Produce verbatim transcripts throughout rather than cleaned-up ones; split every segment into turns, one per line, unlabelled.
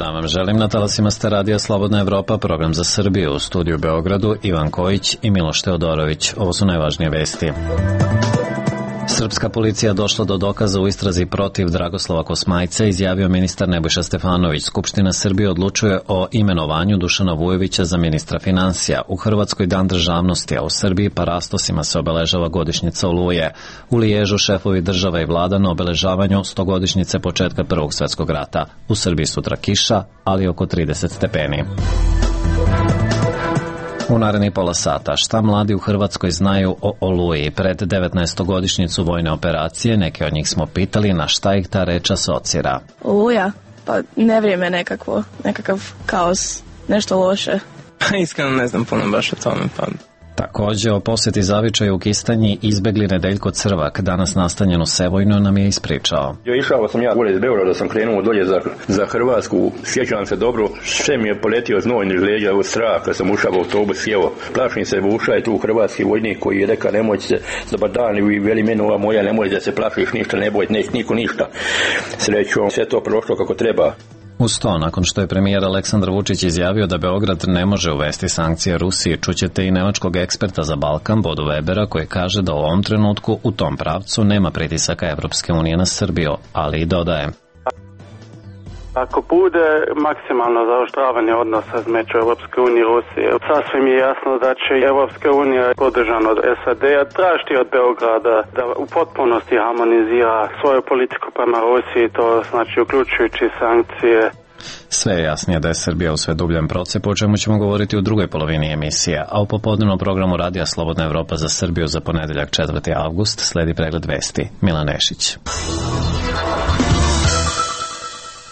dan vam želim. Na talasima ste radija Slobodna Evropa, program za Srbiju. U studiju u Beogradu Ivan Kojić i Miloš Teodorović. Ovo su najvažnije vesti. Srpska policija došla do dokaza u istrazi protiv Dragoslava Kosmajca, izjavio ministar Nebojša Stefanović. Skupština Srbije odlučuje o imenovanju Dušana Vujovića za ministra finansija. U Hrvatskoj dan državnosti, a u Srbiji parastosima se obeležava godišnjica Oluje. U Liježu šefovi država i vlada na obeležavanju stogodišnjice početka Prvog svetskog rata. U Srbiji sutra kiša, ali oko trideset stepeni. U narednih pola sata, šta mladi u Hrvatskoj znaju o Oluji? Pred devetnaestogodišnjicu vojne operacije, neke od njih smo pitali na šta ih ta reč asocira.
Oluja? Pa nevrijeme nekakvo, nekakav kaos, nešto loše.
Iskreno ne znam puno baš o tome, pa...
Takođe, o posjeti zavičaju u Kistanji izbegli Nedeljko Crvak, danas nastanjen u Sevojnu, nam je ispričao.
Jo, išao sam ja gore iz Beograda, sam krenuo dolje za, za Hrvatsku, sjećam se dobro, sve mi je poletio znoj niz leđa, u strah, kad sam ušao u autobus, sjevo. Plašim se, ušao je tu hrvatski vojnik koji je rekao, nemoj se dobar dan i veli meni ova moja, nemoj da se plašiš ništa, ne boj, neće niko ništa. Srećom, sve to prošlo kako treba.
Uz to, nakon što je premijer Aleksandar Vučić izjavio da Beograd ne može uvesti sankcije Rusiji, čućete i nemačkog eksperta za Balkan, Bodu Webera, koji kaže da u ovom trenutku u tom pravcu nema pritisaka Evropske unije na Srbiju, ali i dodaje.
Ako bude maksimalno zaoštravanje odnosa između Evropske unije i Rusije, sasvim je jasno da će Evropska unija, podržana od S A D-a, tražiti od Beograda da u potpunosti harmonizira svoju politiku prema Rusiji, to znači uključujući sankcije.
Sve je jasnije da je Srbija u sve dubljem procepu, o čemu ćemo govoriti u drugoj polovini emisije, a u popodnevnom programu Radija Slobodna Evropa za Srbiju za ponedeljak četvrti avgust sledi pregled vesti. Milan Nešić.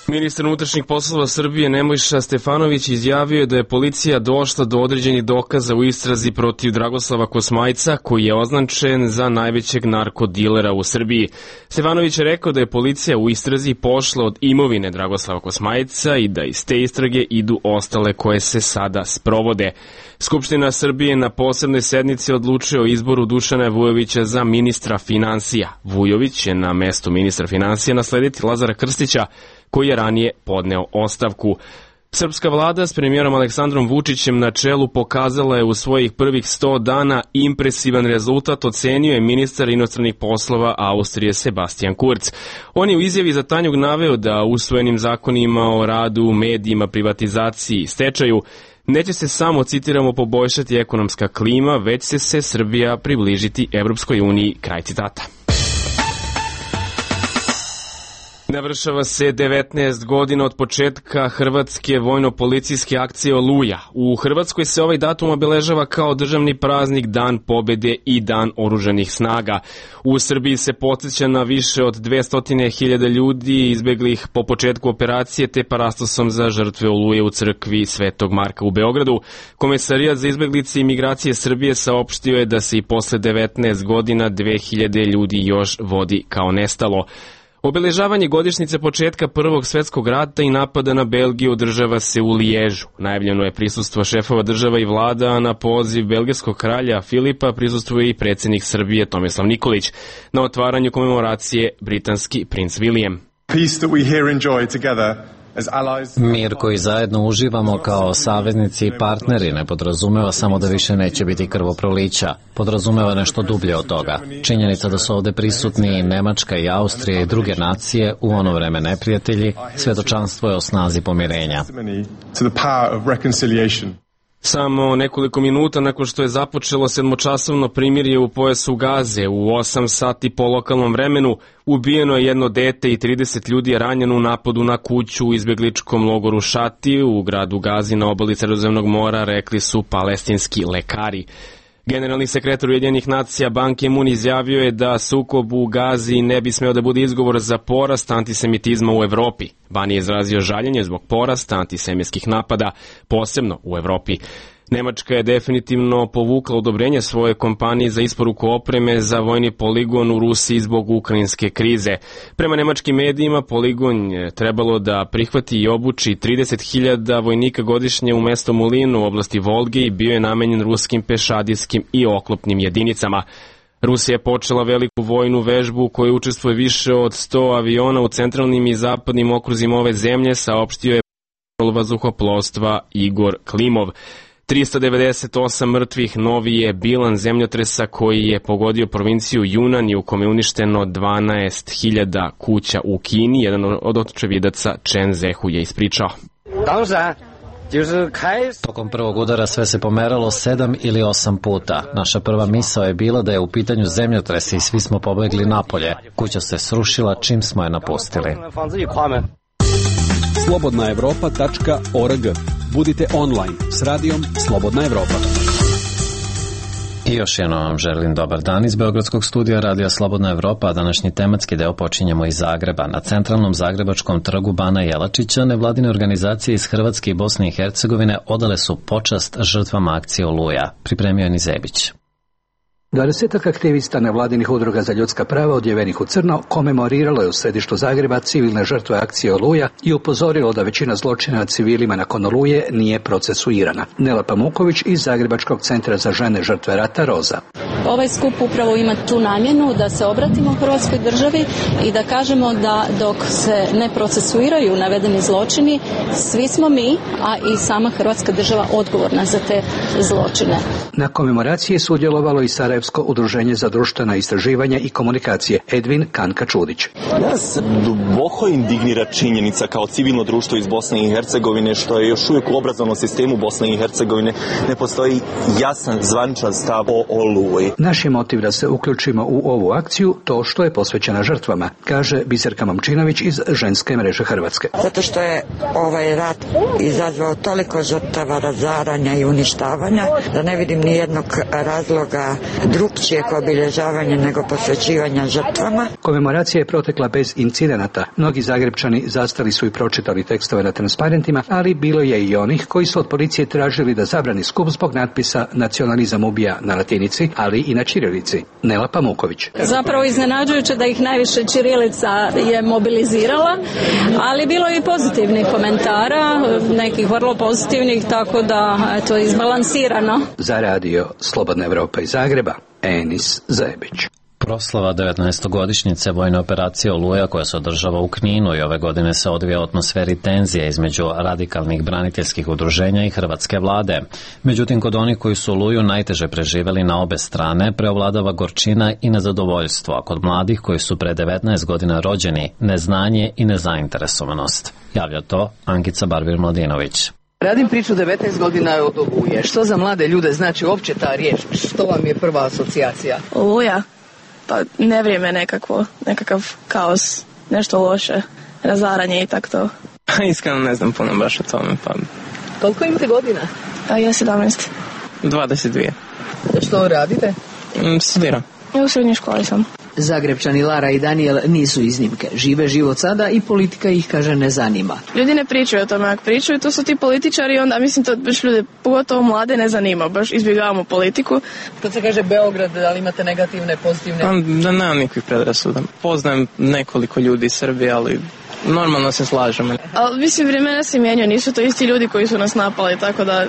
Ministar unutrašnjih poslova Srbije Nebojša Stefanović izjavio je da je policija došla do određenih dokaza u istrazi protiv Dragoslava Kosmajca, koji je označen za najvećeg narkodilera u Srbiji. Stefanović je rekao da je policija u istrazi pošla od imovine Dragoslava Kosmajca i da iz te istrage idu ostale koje se sada sprovode. Skupština Srbije na posebnoj sednici odlučuje o izboru Dušana Vujovića za ministra finansija. Vujović će na mesto ministra finansija naslediti Lazara Krstića, koji je ranije podneo ostavku. Srpska vlada s premijerom Aleksandrom Vučićem na čelu pokazala je u svojih prvih sto dana impresivan rezultat, ocenio je ministar inostranih poslova Austrije Sebastian Kurz. On je u izjavi za Tanjug naveo da usvojenim zakonima o radu, medijima, privatizaciji i stečaju neće se samo, citiramo, poboljšati ekonomska klima, već će se Srbija približiti Evropskoj uniji, kraj citata. Navršava se devetnaest godina od početka hrvatske vojno-policijske akcije Oluja. U Hrvatskoj se ovaj datum obeležava kao državni praznik, Dan pobede i Dan oružanih snaga. U Srbiji se podsjeća na više od dvesta hiljada ljudi izbeglih po početku operacije te parastosom za žrtve Oluje u crkvi Svetog Marka u Beogradu. Komesarijat za izbeglice i migracije Srbije saopštio je da se i posle devetnaest godina dve hiljade ljudi još vodi kao nestalo. Obeležavanje godišnjice početka Prvog svetskog rata i napada na Belgiju održava se u Liježu. Najavljeno je prisustvo šefova država i vlada, a na poziv belgijskog kralja Filipa prisustvuje i predsjednik Srbije Tomislav Nikolić. Na otvaranju komemoracije britanski princ William.
Peace that we here enjoy together.
Mir koji zajedno uživamo kao saveznici i partneri ne podrazumeva samo da više neće biti krvoprolića. Podrazumeva nešto dublje od toga. Činjenica da su ovde prisutni i Nemačka i Austrija i druge nacije, u ono vreme neprijatelji, svjedočanstvo je o snazi pomirenja.
Samo nekoliko minuta nakon što je započelo sedmočasovno primirje u pojasu Gaze, u osam sati po lokalnom vremenu, ubijeno je jedno dete i trideset ljudi je ranjeno u napadu na kuću u izbjegličkom logoru Šati u gradu Gazi na obali Sredozemnog mora, rekli su palestinski lekari. Generalni sekretar Ujedinjenih nacija Ban Ki-moon izjavio je da sukob u Gazi ne bi smeo da bude izgovor za porast antisemitizma u Evropi. Ban je izrazio žaljenje zbog porasta antisemitskih napada, posebno u Evropi. Nemačka je definitivno povukla odobrenje svoje kompanije za isporuku opreme za vojni poligon u Rusiji zbog ukrajinske krize. Prema nemačkim medijima, poligon je trebalo da prihvati i obuči trideset hiljada vojnika godišnje u mesto Mulin u oblasti Volge i bio je namenjen ruskim pešadijskim i oklopnim jedinicama. Rusija je počela veliku vojnu vežbu u kojoj učestvuje više od sto aviona u centralnim i zapadnim okruzima ove zemlje, saopštio je vazduhoplovstva Igor Klimov. trista devedeset osam mrtvih novi je bilan zemljotresa koji je pogodio provinciju Junan i u kome je uništeno dvanaest hiljada kuća u Kini. Jedan od očevidaca Chen Zehu je ispričao.
Tokom prvog udara sve se pomeralo sedam ili osam puta. Naša prva misao je bila da je u pitanju zemljotres i svi smo pobegli napolje. Kuća se srušila čim smo je napustili.
slobodna evropa tačka org. Budite online s radijom Slobodna Evropa.
I još jednom vam želim dobar dan iz Beogradskog studija Radija Slobodna Evropa, a današnji tematski deo počinjemo iz Zagreba. Na centralnom zagrebačkom trgu Bana Jelačića nevladine organizacije iz Hrvatske i Bosne i Hercegovine odale su počast žrtvama akcije Oluja. Pripremio je Nizebić.
Dvadesetak aktivista nevladinih udruga za ljudska prava odjevenih u crno komemoriralo je u središtu Zagreba civilne žrtve akcije Oluja i upozorilo da većina zločina nad civilima nakon Oluje nije procesuirana. Nela Pamuković iz Zagrebačkog centra za žene žrtve rata Roza.
Ovaj skup upravo ima tu namjenu da se obratimo Hrvatskoj državi i da kažemo da dok se ne procesuiraju navedeni zločini, svi smo mi, a i sama Hrvatska država odgovorna za te zločine.
Na komemoraciji je sudjelovalo i Sarajevsko udruženje za društvena istraživanja i komunikacije Edvin Kanka-Čudić.
Nas duboko indignira činjenica kao civilno društvo iz Bosne i Hercegovine što je još uvijek u obrazovnom sistemu Bosne i Hercegovine ne postoji jasan zvaničan stav o Oluji.
Naš je motiv da se uključimo u ovu akciju to što je posvećena žrtvama, kaže Biserka Momčinović iz Ženske mreže Hrvatske.
Zato što je ovaj rat izazvao toliko žrtava, razaranja i uništavanja da ne vidim ni jednog razloga drugčijeg obilježavanja nego posvećivanja žrtvama.
Komemoracija je protekla bez incidenata. Mnogi Zagrebčani zastali su i pročitali tekstove na transparentima, ali bilo je i onih koji su od policije tražili da zabrani skup zbog natpisa Nacionalizam ubija na latinici, ali i na ćirilici. Nela Pamuković.
Zapravo iznenađujuće da ih najviše ćirilica je mobilizirala, ali bilo je i pozitivnih komentara, nekih vrlo pozitivnih, tako da to je izbalansirano.
Za radio Slobodna Evropa iz Zagreba, Enis Zajebić.
Proslava devetnaestogodišnjice vojne operacije Oluja koja se održava u Kninu i ove godine se odvija u atmosferi tenzije između radikalnih braniteljskih udruženja i hrvatske vlade. Međutim, kod onih koji su Oluju najteže preživeli na obe strane, preovladava gorčina i nezadovoljstvo, a kod mladih koji su pre devetnaest godina rođeni, neznanje i nezainteresovanost. Javlja to Ankica Barbir-Mladinović.
Radim priču devetnaest godina od Oluje. Što za mlade ljude znači uopće ta riječ? Što vam je prva asocijacija?
Oluja? Pa nevrijeme nekakvo, nekakav kaos, nešto loše, razaranje i tako to.
Iskreno ne znam puno baš o tome, pa...
Koliko imate godina?
A ja sedamnaest.
dvadeset dvije.
Što radite?
Mm, studiram.
Ja u srednjoj školi sam.
Zagrebčani Lara i Daniel nisu iznimke. Žive život sada i politika ih, kaže, ne zanima.
Ljudi ne pričaju o tome, ako pričaju, to su ti političari, onda mislim to baš ljude, pogotovo mlade, ne zanima, baš izbjegavamo politiku.
Kad se kaže Beograd, da li imate negativne, pozitivne?
Pa, da nemam nikakvih predrasuda. Poznajem nekoliko ljudi iz Srbije, ali normalno se slažemo.
Ali mislim, vremena se mijenjaju, nisu to isti ljudi koji su nas napali, tako da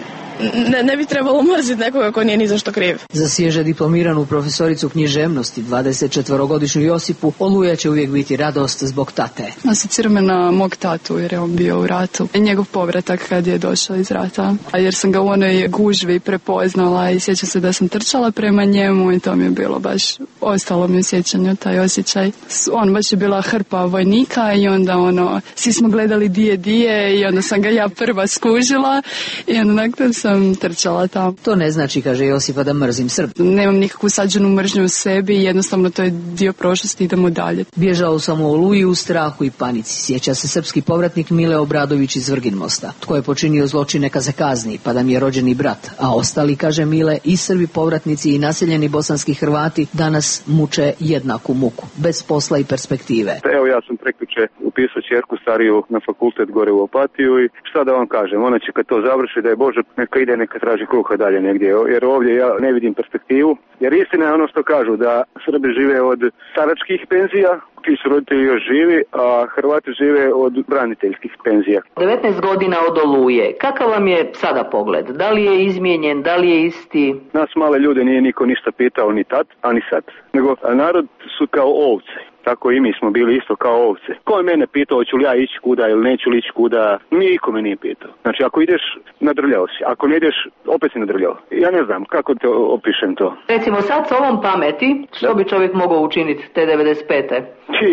ne, ne bi trebalo mrziti nekoga ko nije ni za što kriv.
Za svježe diplomiranu profesoricu književnosti, dvadesetčetvorogodišnju Josipu, Oluja će uvijek biti radost zbog tate.
Asocira na mog tatu jer je on bio u ratu. Njegov povratak kad je došao iz rata. A jer sam ga u onoj gužvi prepoznala i sjećam se da sam trčala prema njemu i to mi je bilo baš, ostalo mi u sjećanju taj osjećaj. On baš je bila hrpa vojnika i onda ono, svi smo gledali dije dije i onda sam ga ja prva skužila i onda nakon sam trčala tamo.
To ne znači, kaže Josipa, da mrzim Srb.
Nemam nikakvu sađenu mržnju u sebi i jednostavno to je dio prošlosti, idemo dalje.
Bježao sam u Oluji u strahu i panici. Sjeća se srpski povratnik Mile Obradović iz Vrginmosta. Tko je počinio zločin neka se kazni, pa da mi je rođeni brat. A ostali, kaže Mile, i Srbi povratnici i naseljeni bosanski Hrvati danas muče jednaku muku, bez posla i perspektive.
Evo, ja sam prekjuče upisao ćerku stariju na fakultet gore u Opatiju i šta da vam kažem, ona će kad to završi, da je Bože, neka ide, neka traži kruha dalje negdje, jer ovdje ja ne vidim perspektivu, jer istina je ono što kažu, da Srbi žive od staračkih penzija, ti su roditelji još živi, a Hrvati žive od braniteljskih penzija.
devetnaest godina od Oluje, kakav vam je sada pogled? Da li je izmijenjen, da li je isti?
Nas male ljude nije niko ništa pitao ni tad, a ni sad, nego narod su kao ovce.
tako i mi smo bili isto kao ovce. Ko je mene pitao hoću li ja ići kuda ili neću li ići kuda, niko me nije pitao. Znači ako ideš, nadrljao si, ako ne ideš, opet si nadrljao. Ja ne znam kako te opišem to.
Recimo sad s ovom pameti, što bi čovjek mogao učiniti te devedeset pete?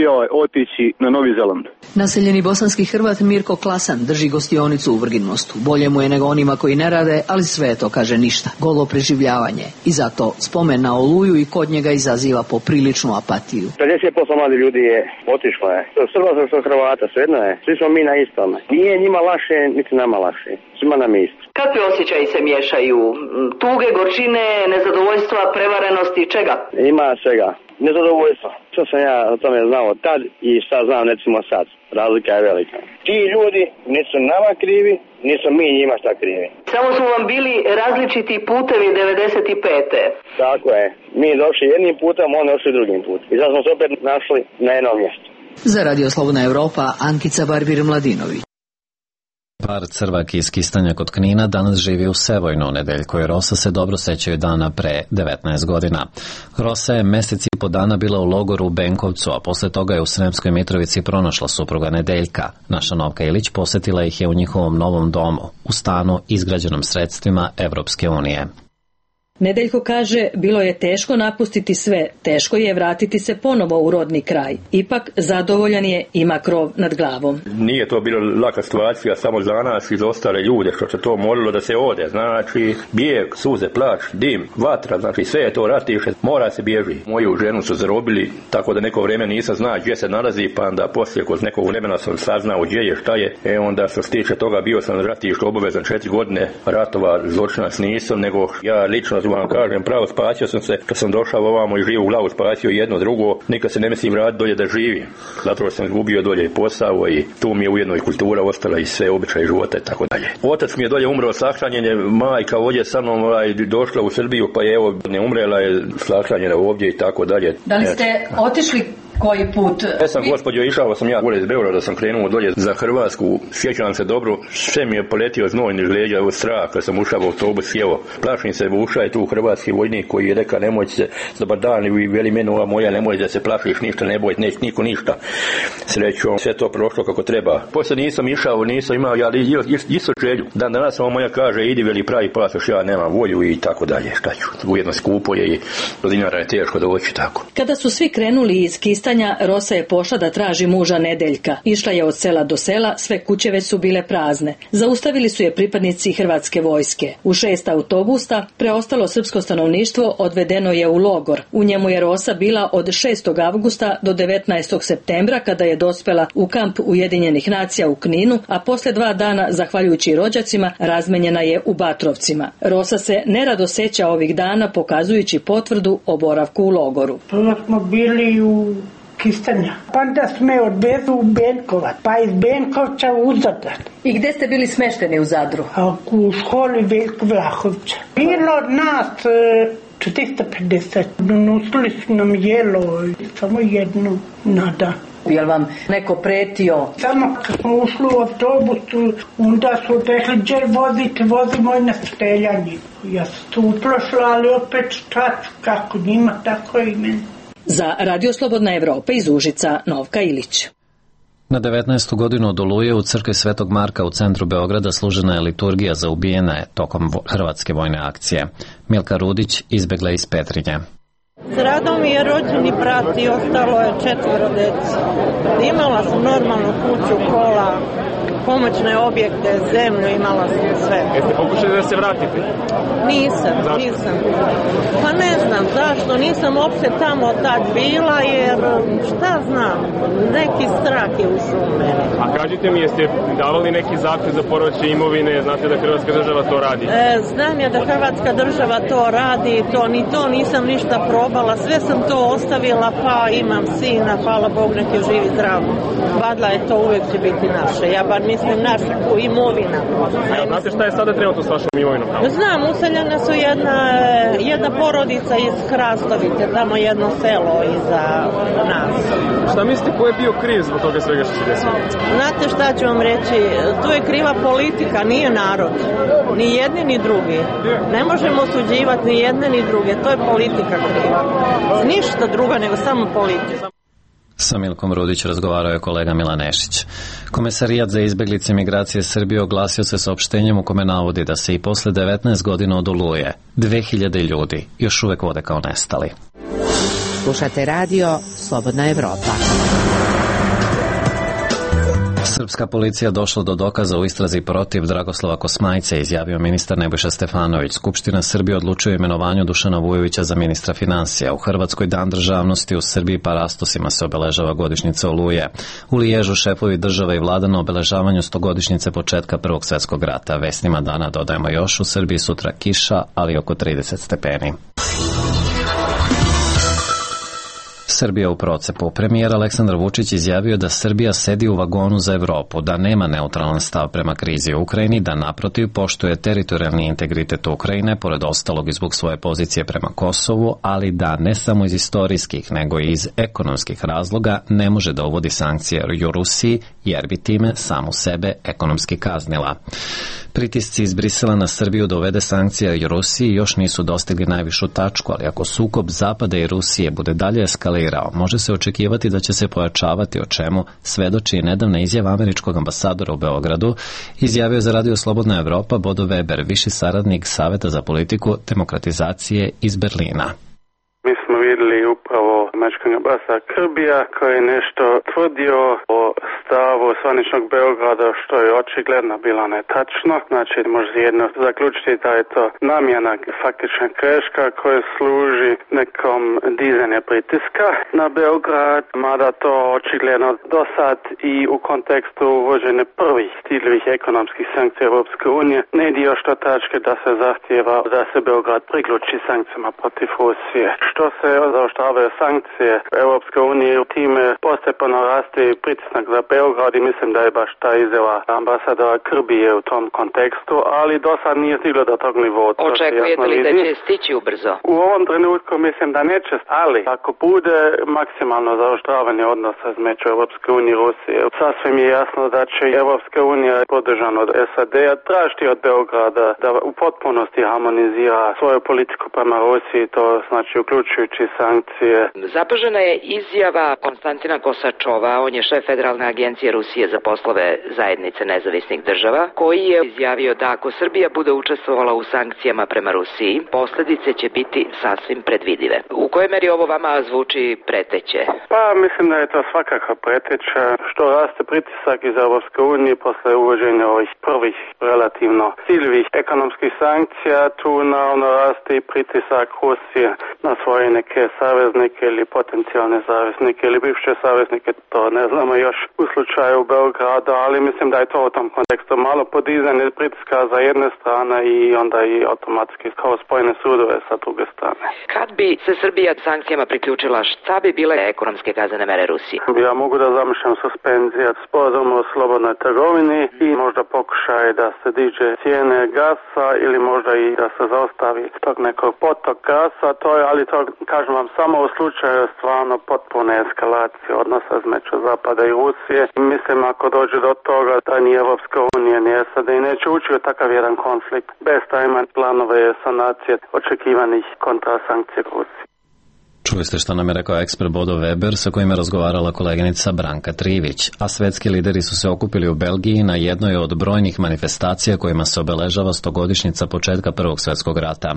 Joj, otići na Novi Zeland.
Naseljeni bosanski Hrvat Mirko Klasan drži gostionicu u Vrginmostu. Bolje mu je nego onima koji ne rade, ali sve to kaže ništa. Golo preživljavanje. I zato spomen na Oluju i kod njega izaziva popriličnu apatiju.
pedeset posto mladi ljudi je otišlo je. Srba što Hrvata, svejedno je. Svi smo mi na istome. Nije njima lakše, niti nama lakše. Svima nam je isto.
Kakvi osjećaji se miješaju? Tuge, gorčine, nezadovoljstva, prevarenosti, čega?
Ima svega. Nezadovoljstvo. Što sam ja o tome znao tad i šta znam recimo sad. Razlika je velika. Ti ljudi nisu nama krivi, nisu mi njima šta krivi.
Samo su vam bili različiti putevi devedeset pete.
Tako je. Mi došli jednim putem, oni došli drugim putem. I zato smo se opet našli na jednom mjestu.
Za Radio Slobodna Evropa, Ankica Barbir-Mladinović.
Par Crvak iz Kistanja kod Knina danas živi u Sevojnu. Nedeljko i Rosa se dobro sećaju dana pre devetnaest godina. Rosa je mesec i po dana bila u logoru u Benkovcu, a posle toga je u Sremskoj Mitrovici pronašla supruga Nedeljka. Naša Novka Ilić posetila ih je u njihovom novom domu, u stanu izgrađenom sredstvima Evropske unije.
Nedeljko kaže, bilo je teško napustiti sve, teško je vratiti se ponovo u rodni kraj. Ipak, zadovoljan je, ima krov nad glavom.
Nije to bila laka situacija samo za nas i za ostale ljude, što se to moralo da se ode. Znači, bijeg, suze, plač, dim, vatra, znači sve je to ratiše, mora se bježi. Moju ženu su zarobili, tako da neko vrijeme nisam znao gdje se nalazi, pa onda poslije kod nekog vremena sam saznao gdje je, šta je. E onda što se tiče toga bio sam ratište obavezan četiri godine, ratova zločinac nisam, nego ja lično vam kažem, pravo spasio sam se, kad sam došao ovamo i živu glavu, spasio jedno drugo, nikad se ne mislim vratiti dolje da živim. Zato sam izgubio dolje posao i tu mi je ujedno i kultura ostala i sve običaje života i tako dalje. Otac mi je dolje umro sahranjenje, majka ovdje sa mnom ovaj, došla u Srbiju, pa je evo ne umrela je sahranjena ovdje i tako dalje.
Da li ste otišli koji put?
Ja sam, gospođo, išao sam ja gore iz Beograda, sam krenuo dolje za Hrvatsku, sjećam se dobro, sve mi je poletio znoj niz leđa, od straha, kad sam ušao u autobus, evo, plašim se, ušao je tu hrvatski vojnik koji je rekao, nemoj se, dobar dan, i veli meni ova moja, nemoj da se plašiš ništa, ne boj, neće niko ništa. Srećom, sve to prošlo kako treba. Poslije nisam išao, nisam imao, ja isto želju. Dan danas ova moja kaže, idi veli pravi pasoš, ja nemam volju i tako dalje, šta ću, ujedno skupo je i do dinara je teško doći tako.
Kada su svi krenuli iz Kistanja, Rosa je pošla da traži muža Nedeljka. Išla je od sela do sela, sve kuće već su bile prazne. Zaustavili su je pripadnici hrvatske vojske. U šest autobusa preostalo srpsko stanovništvo odvedeno je u logor. U njemu je Rosa bila od šestog avgusta do devetnaestog septembra, kada je dospela u kamp Ujedinjenih nacija u Kninu, a posle dva dana, zahvaljujući rođacima, razmenjena je u Batrovcima. Rosa se nerado seća ovih dana, pokazujući potvrdu o boravku u logoru.
Prvo smo bili u Kistanja. Pa onda sme odvezu u Benkovac, pa iz Benkovca u Zadar.
I gdje ste bili smešteni u Zadru?
A u školi Veljko Vlahovića. Bilo od nas četiristo pedeset. Donosili su nam jelo, samo jedno na dan.
Je li vam neko pretio?
Samo kad smo ušli u autobusu, onda su rekli, gdje vozite, vozimo i na streljanje. Ja sam tu uplašla, ali opet šta ću, kako njima, tako i meni.
Za Radio Slobodna Evropa iz Užica, Novka Ilić.
Na devetnaestu godinu od Oluje u crkvi Svetog Marka u centru Beograda služena je liturgija za ubijene tokom hrvatske vojne akcije. Milka Rudić izbegla iz Petrinje.
Stradao mi je rođeni brat i ostalo je četvero dece. Imala sam normalnu kuću, kola, pomoćne objekte, zemlju, imala sam sve.
Jeste pokušali da se vratite?
Nisam, zašto? nisam. Pa ne znam zašto, nisam uopće tamo tad bila, jer šta znam, neki strah je ušao u mene.
A kažite mi, jeste davali neki zahtev za povraćaj imovine, znate da Hrvatska država to radi?
E, znam ja da Hrvatska država to radi, to, ni to nisam ništa probala, sve sam to ostavila, pa imam sina, hvala Bog, nek je živi zdrav. Badla je to, uvijek će biti naše, ja bar mislim naša imovina.
Ja, znate šta je sada trenutno s vašom imovinom?
Znam, useljena su jedna, jedna porodica iz Krastovice, tamo jedno selo iza nas.
Šta mislite, ko je bio kriv zbog toga svega što se desilo?
Znate šta ću vam reći, tu je kriva politika, nije narod. Ni jedni ni drugi. Ne možemo osuđivati ni jedne ni druge, to je politika kriva. Ništa druga nego samo politika.
Sa Milkom Rudić razgovarao je kolega Milan Nešić. Komesarijat za izbeglice migracije Srbije oglasio se saopštenjem u kome navodi da se i posle devetnaest godina od Oluje dve hiljade ljudi još uvek vode kao nestali.
Slušate radio Slobodna Evropa.
Srpska policija došla do dokaza u istrazi protiv Dragoslava Kosmajca, izjavio ministar Nebojša Stefanović. Skupština Srbije odlučuje o imenovanju Dušana Vujovića za ministra finansija. U Hrvatskoj dan državnosti, u Srbiji parastosima se obeležava godišnjica Oluje. U Liježu šefovi država i vlada na obeležavanju stogodišnjice početka Prvog svetskog rata. Vesnima dana dodajemo još, u Srbiji sutra kiša, ali oko trideset stepeni. Srbija u procepu. Premijer Aleksandar Vučić izjavio da Srbija sedi u vagonu za Evropu, da nema neutralan stav prema krizi u Ukrajini, da naprotiv poštuje teritorijalni integritet Ukrajine, pored ostalog i zbog svoje pozicije prema Kosovu, ali da ne samo iz istorijskih, nego i iz ekonomskih razloga ne može da uvodi sankcije u Rusiji, jer bi time samu sebe ekonomski kaznila. Pritisci iz Brisela na Srbiju da uvede sankcije i Rusiji još nisu dostigli najvišu tačku, ali ako sukob Zapada i Rusije bude dalje eskalirao, može se očekivati da će se pojačavati, o čemu svedoči i nedavna izjava američkog ambasadora u Beogradu, izjavio za Radio Slobodna Evropa Bodo Weber, viši saradnik Saveta za politiku demokratizacije iz Berlina.
Mi smo vidjeli upravo američkog ambasadora Krbija koji je nešto tvrdio o stavu zvaničnog Beograda, što je očigledno bilo netačno. Znači, može jedno zaključiti da je to namjena, faktična greška koja služi nekom dizanju pritiska na Beograd, mada to očigledno do sad i u kontekstu uvođenja prvih stiljivih ekonomskih sankcija Europske unije ne ide još do tačke da se zahtjeva da se Beograd priključi sankcijama protiv Rusije. Što se zaoštravaju sankcije Europske unije, time postepeno raste pritisak za Beograd i mislim da je baš ta izjava ambasadora Krbije u tom kontekstu, ali do sad nije stiglo do tog nivoa.
Očekujete li da će stići ubrzo?
U ovom trenutku mislim da neće, ali ako bude maksimalno zaoštravanje odnosa između Europske unije i Rusije, sasvim je jasno da će Europska unija podržana od S A D-a tražiti od Beograda da u potpunosti harmonizira svoju politiku prema Rusiji, to znači uključujući sankcije.
Zapažena je izjava Konstantina Kosačova, on je šef Federalne agencije Rusije za poslove zajednice nezavisnih država, koji je izjavio da ako Srbija bude učestvovala u sankcijama prema Rusiji, posljedice će biti sasvim predvidive. U kojoj meri ovo vama zvuči preteće?
Pa mislim da je to svakako preteće. Što raste pritisak iz Europske unije posle uvođenja ovih prvih relativno ciljevih ekonomskih sankcija, tu naravno raste i pritisak Rusije na svoje neke saveznike ili potencijalne saveznike ili bivše saveznike, to ne znamo još u slučaju Beograda, ali mislim da je to u tom kontekstu malo podizanje pritiska za jedne strane i onda i automatski kao spojene sudove sa druge strane.
Kad bi se Srbija sankcijama priključila, šta bi bile ekonomske kaznene mere Rusije?
Ja mogu da zamišljam suspenzija sporazuma o slobodnoj trgovini i možda pokušaj da se diže cijene gasa ili možda i da se zaostavi tog nekog potok gasa, to je, ali to kažem vam samo u slučaju stvarno potpune eskalacije odnosa između Zapada i Rusije. Mislim ako dođe do toga da ni Evropska unija ni S A D neće ući u takav jedan konflikt bez da ima planove sanacije očekivanih kontrasankcija Rusije.
Čuli ste što nam je rekao ekspert Bodo Weber, sa kojim je razgovarala koleginica Branka Trivić, a svetski lideri su se okupili u Belgiji na jednoj od brojnih manifestacija kojima se obeležava stogodišnjica početka Prvog svetskog rata.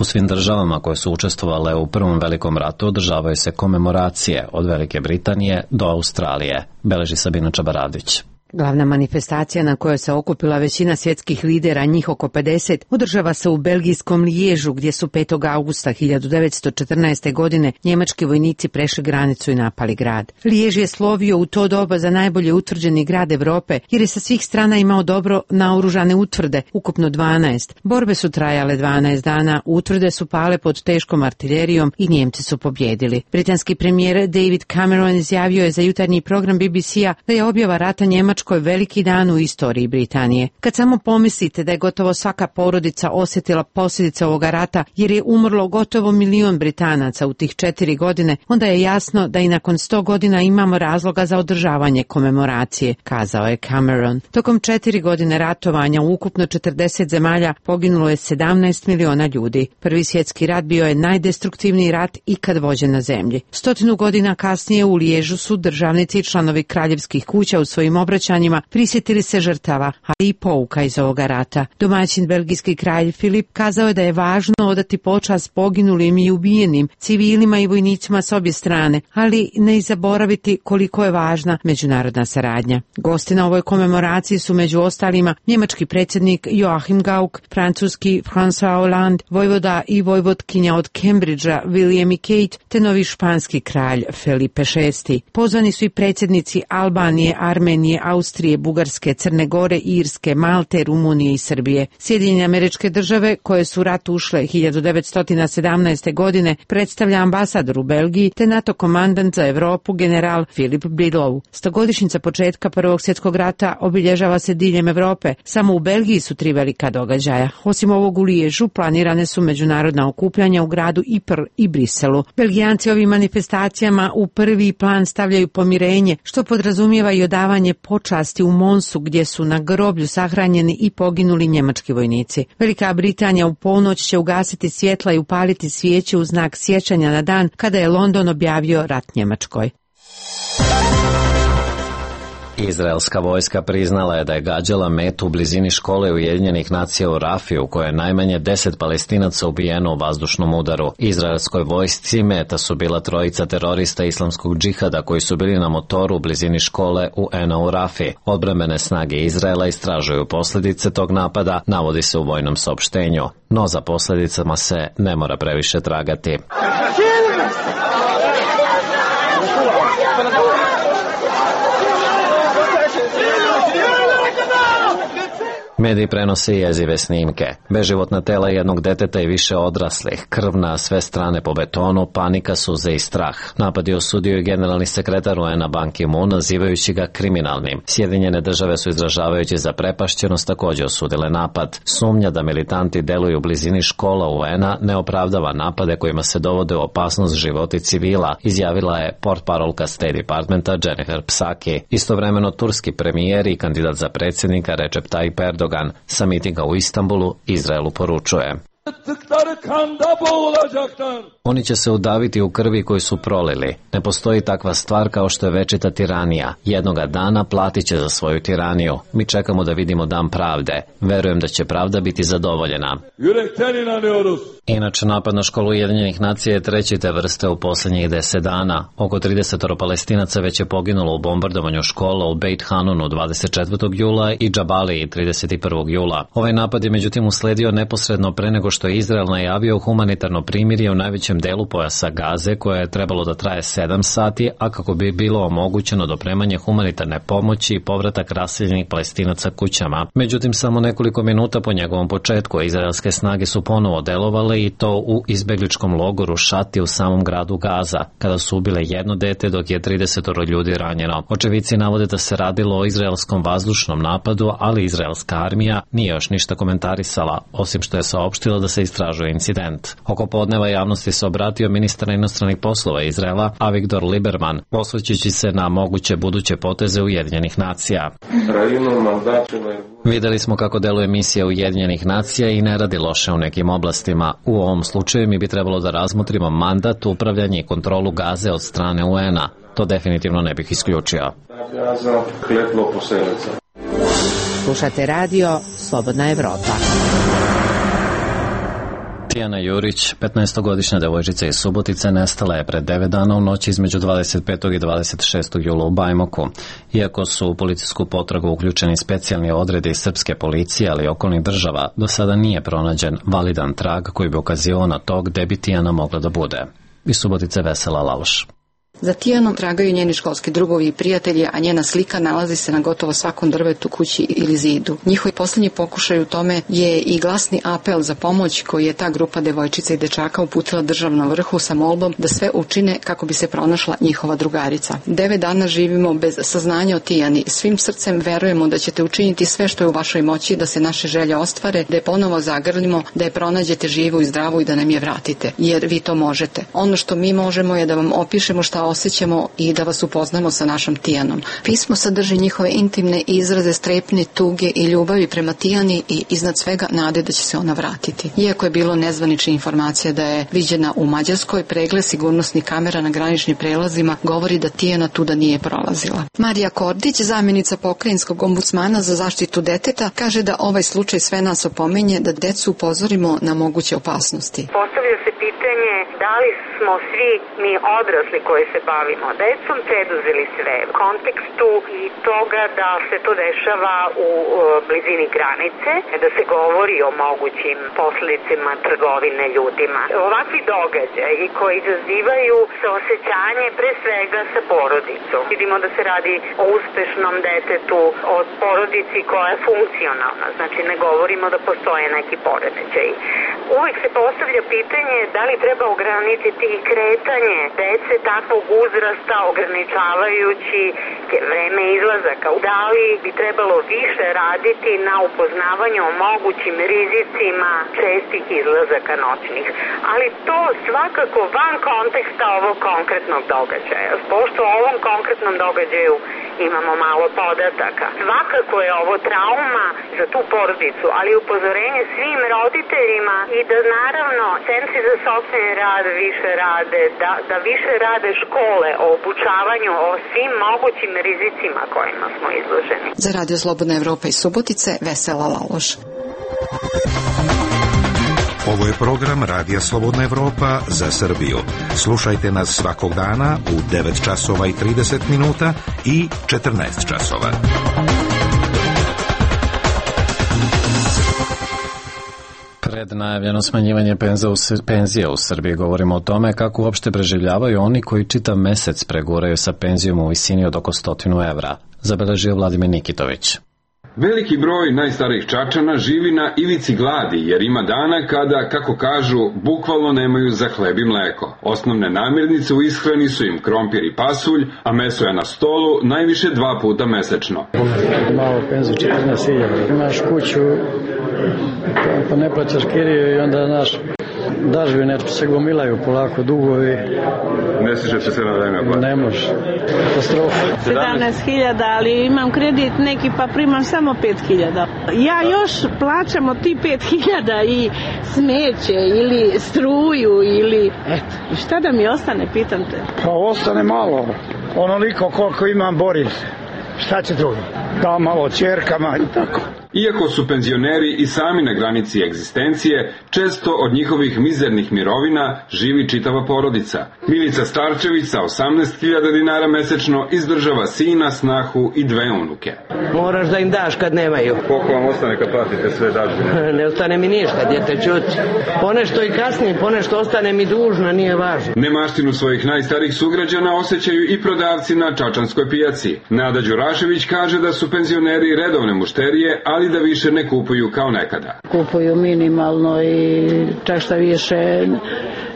U svim državama koje su učestvovale u Prvom velikom ratu održavaju se komemoracije od Velike Britanije do Australije, beleži Sabina Čabaravdić.
Glavna manifestacija na kojoj se okupila većina svjetskih lidera, njih oko pedeset, održava se u belgijskom Liježu, gdje su petog augusta hiljadu devetsto četrnaeste. godine njemački vojnici prešli granicu i napali grad. Lijež je slovio u to doba za najbolje utvrđeni grad Evrope, jer je sa svih strana imao dobro naoružane utvrde, ukupno dvanaest. Borbe su trajale dvanaest dana, utvrde su pale pod teškom artiljerijom i Njemci su pobjedili. Britanski premijer David Cameron izjavio je za jutarnji program B B C-a da je objava rata Njemačkoj Njemačkoj veliki dan u istoriji Britanije. Kad samo pomislite da je gotovo svaka porodica osjetila posljedice ovoga rata jer je umrlo gotovo milion Britanaca u tih četiri godine, onda je jasno da i nakon sto godina imamo razloga za održavanje komemoracije, kazao je Cameron. Tokom četiri godine ratovanja u ukupno četrdeset zemalja poginulo je sedamnaest miliona ljudi. Prvi svjetski rat bio je najdestruktivniji rat ikad vođen na zemlji. Stotinu godina kasnije u Liježu su državnici i članovi kraljevskih kuća u svojim obraćanjima prisjetili se žrtava, ali i pouka iz ovoga rata. Domaćin belgijski kralj Filip kazao je da je važno odati počast poginulim i ubijenim civilima i vojnicima s obje strane, ali ne i zaboraviti koliko je važna međunarodna saradnja. Gosti na ovoj komemoraciji su među ostalima njemački predsjednik Joachim Gauck, francuski François Hollande, vojvoda i vojvodkinja od Cambridgea William i Kate, te novi španski kralj Felipe šesti. Pozvani su i predsjednici Albanije, Armenije, Austrije, Bugarske, Crne Gore, Irske, Malte, Rumunije i Srbije. Sjedinjene Američke Države, koje su u rat ušle hiljadu devetsto sedamnaeste. godine, predstavlja ambasador u Belgiji te NATO komandant za Europu general Philip Bridlow. Stogodišnjica početka Prvog svjetskog rata obilježava se diljem Europe. Samo u Belgiji su tri velika događaja. Osim ovog u Liježu planirane su međunarodna okupljanja u gradu Ypres i Briselu. Belgijanci ovim manifestacijama u prvi plan stavljaju pomirenje, što podrazumijeva i odavanje počasti u Monsu gdje su na groblju sahranjeni i poginuli njemački vojnici. Velika Britanija u ponoć će ugasiti svjetla i upaliti svijeće u znak sjećanja na dan kada je London objavio rat Njemačkoj.
Izraelska vojska priznala je da je gađala metu u blizini škole Ujedinjenih nacija u Rafi, u kojoj je najmanje deset Palestinaca ubijeno u vazdušnom udaru. Izraelskoj vojsci meta su bila trojica terorista islamskog džihada koji su bili na motoru u blizini škole U N A u Rafi. Odbrambene snage Izraela istražuju posljedice tog napada, navodi se u vojnom saopštenju. No za posljedicama se ne mora previše tragati. Mediji prenose jezive snimke. Beživotna tela jednog deteta i više odraslih, krv na sve strane po betonu, panika, suze i strah. Napad je osudio i generalni sekretar U N A Ban Ki-moon, nazivajući ga kriminalnim. Sjedinjene države su izražavajući zaprepašćenost također osudile napad. Sumnja da militanti deluju u blizini škola U N A ne opravdava napade kojima se dovode u opasnost životi civila, izjavila je portparolka State Departmenta Jennifer Psaki. Istovremeno turski premijer i kandidat za predsjednika Recep Tayyip Erdogan sa mitinga u Istanbulu Izraelu poručuje: oni će se udaviti u krvi koju su prolili. Ne postoji takva stvar kao što je večita tiranija. Jednoga dana platit će za svoju tiraniju. Mi čekamo da vidimo dan pravde. Verujem da će pravda biti zadovoljena. Inače, napad na školu Ujedinjenih nacija je treći te vrste u posljednjih deset dana. Oko trideset Palestinaca već je poginulo u bombardovanju škola u Beit Hanunu dvadeset četvrtog jula i Džabaliji trideset prvog jula. Ovaj napad je međutim usledio neposredno pre nego što je Izrael najavio humanitarno primirje u najvećem delu pojasa Gaze, koje je trebalo da traje sedam sati, a kako bi bilo omogućeno dopremanje humanitarne pomoći i povratak raseljenih Palestinaca kućama. Međutim, samo nekoliko minuta po njegovom početku izraelske snage su ponovo delovale i to u izbegličkom logoru Šati u samom gradu Gaza, kada su ubile jedno dete dok je trideset ljudi ranjeno. Očevici navode da se radilo o izraelskom vazdušnom napadu, ali izraelska armija nije još ništa komentarisala, osim što je saopštila da se istražuje incident. Oko podneva javnosti se obratio ministar inostranih poslova Izraela Avigdor Lieberman, osvrćući se na moguće buduće poteze Ujedinjenih nacija. Videli smo kako deluje misija Ujedinjenih nacija i ne radi loše u nekim oblastima. U ovom slučaju mi bi trebalo da razmotrimo mandat, upravljanje i kontrolu Gaze od strane U N A. To definitivno ne bih isključio.
Slušate radio Slobodna Evropa.
Tijana Jurić, petnaestogodišnja devojčica iz Subotice, nestala je pred devet dana u noći između dvadeset petog i dvadeset šestog jula u Bajmoku. Iako su u policijsku potragu uključeni specijalni odredi srpske policije, ali i okolnih država, do sada nije pronađen validan trag koji bi ukazivao na to gde bi Tijana mogla da bude. Iz Subotice Vesela Lauš.
Za Tijanom tragaju njeni školski drugovi i prijatelji, a njena slika nalazi se na gotovo svakom drvetu, kući ili zidu. Njihovi poslednji pokušaj u tome je i glasni apel za pomoć koji je ta grupa devojčica i dečaka uputila državnom vrhu sa molbom da sve učine kako bi se pronašla njihova drugarica. Devet dana živimo bez saznanja o Tijani. Svim srcem verujemo da ćete učiniti sve što je u vašoj moći da se naše želje ostvare, da je ponovo zagrlimo, da je pronađete živu i zdravu i da nam je vratite, jer vi to možete. Ono što mi možemo je da vam opišemo šta osjećamo i da vas upoznamo sa našom Tijanom. Pismo sadrži njihove intimne izraze strepnje, tuge i ljubavi prema Tijani i iznad svega nade da će se ona vratiti. Iako je bilo nezvanična informacija da je viđena u Mađarskoj, pregled sigurnosnih kamera na graničnim prelazima govori da Tijana tuda nije prolazila. Marija Kordić, zamjenica pokrajinskog ombudsmana za zaštitu deteta, kaže da ovaj slučaj sve nas opominje da decu upozorimo na moguće opasnosti.
Postavlja se pitanje da li smo svi mi odrasli koji se bavimo decom preduzeli sve u kontekstu i toga da se to dešava u blizini granice, da se govori o mogućim posledicama trgovine ljudima. Ovakvi događaji koji izazivaju saosećanje pre svega sa porodicom. Vidimo da se radi o uspešnom detetu, o porodici koja je funkcionalna, znači ne govorimo da postoje neki poremećaj. Uvijek se postavlja pitanje da li treba ograničiti kretanje dece takvog uzrasta ograničavajući vreme izlazaka. Da li bi trebalo više raditi na upoznavanju o mogućim rizicima čestih izlazaka noćnih. Ali to svakako van konteksta ovog konkretnog događaja. Pošto o ovom konkretnom događaju imamo malo podataka. Svakako je ovo trauma za tu porodicu, ali upozorenje svim roditeljima i da naravno centri za socijalni rad više rade, da, da više rade škole o obučavanju o svim mogućim rizicima kojima smo izloženi.
Za Radio Slobodna Evropa iz Subotice, Vesela Laloš.
Ovo je program Radija Slobodna Evropa za Srbiju. Slušajte nas svakog dana u devet časova i trideset minuta i četrnaest časova.
Pred najavljeno smanjivanje penzija u Srbiji govorimo o tome kako uopšte preživljavaju oni koji čitav mesec preguraju sa penzijom u visini od oko stotinu evra, zabeležio Vladimir Nikitović.
Veliki broj najstarijih Čačana živi na ivici gladi jer ima dana kada, kako kažu, bukvalno nemaju za hleb i mleko. Osnovne namirnice u ishrani su im krompir i pasulj, a meso je na stolu najviše dva puta mesečno.
Malo penziju, četrnaest hiljada. Imaš kuću, pa ne plaćaš kiriju i onda naš dažbine se gomilaju polako, dugovi.
Ne stiže se sve na vreme.
Ne može. Katastrofa.
sedamnaest hiljada, ali imam kredit neki pa primam samo pet hiljada. Ja još plaćam od ti pet hiljada i smeće ili struju ili... Eto, i šta da mi ostane, pitam te?
Pa ostane malo. Onoliko koliko imam, bori se. Šta će drugo? Da malo ćerkama i tako.
Iako su penzioneri i sami na granici egzistencije, često od njihovih mizernih mirovina živi čitava porodica. Milica Starčević sa osamnaest hiljada dinara mesečno izdržava sina, snahu i dve unuke.
Moraš da im daš kad nemaju.
Koliko vam ostane kad platite sve dažbine?
Ne ostane mi ništa, djete čuti. Ponešto i kasnije, ponešto ostane mi dužna, nije važno.
Nemaštinu svojih najstarijih sugrađana osjećaju i prodavci na čačanskoj pijaci. Nada Đurašević kaže da su penzioneri redovne mušterije, ali da više ne kupuju kao nekada.
Kupuju minimalno i čak šta više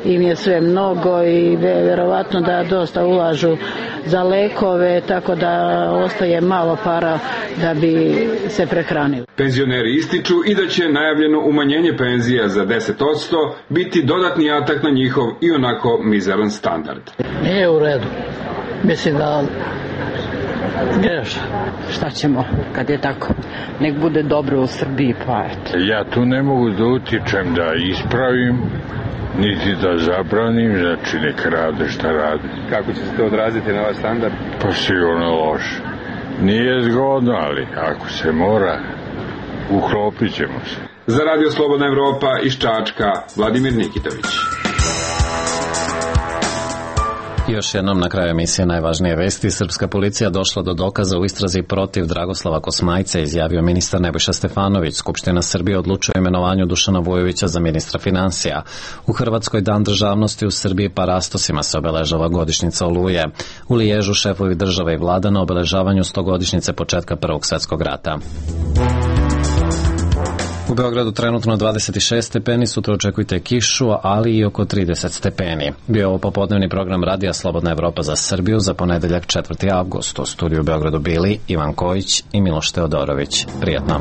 im je sve mnogo i verovatno da dosta ulažu za lekove, tako da ostaje malo para da bi se prehranili.
Penzioneri ističu i da će najavljeno umanjenje penzija za deset posto biti dodatni atak na njihov i onako mizeran standard.
Nije u redu. Mislim da greš.
Šta ćemo kad je tako? Nek bude dobro u Srbiji, pa eto.
Ja tu ne mogu da utičem da ispravim, niti da zabranim, znači nek rade šta rade.
Kako će se to odraziti na vaš standard?
Pa sigurno loše. Nije zgodno, ali ako se mora, uklopit ćemo se.
Za Radio Slobodna Evropa iz Čačka, Vladimir Nikitović.
Još jednom na kraju emisije najvažnije vesti. Srpska policija došla do dokaza u istrazi protiv Dragoslava Kosmajca, izjavio ministar Nebojša Stefanović. Skupština Srbije odlučuje o imenovanju Dušana Vujovića za ministra finansija. U Hrvatskoj dan državnosti, u Srbiji parastosima se obeležava godišnjica Oluje. U Liježu šefovi države i vlada na obeležavanju stogodišnjice početka Prvog svjetskog rata. U Beogradu trenutno dvadeset šest stepeni, sutra očekujte kišu, ali i oko trideset stepeni. Bio je ovo popodnevni program Radija Slobodna Evropa za Srbiju za ponedeljak četvrti avgust. U studiju u Beogradu bili Ivan Kojić i Miloš Teodorović. Prijatno.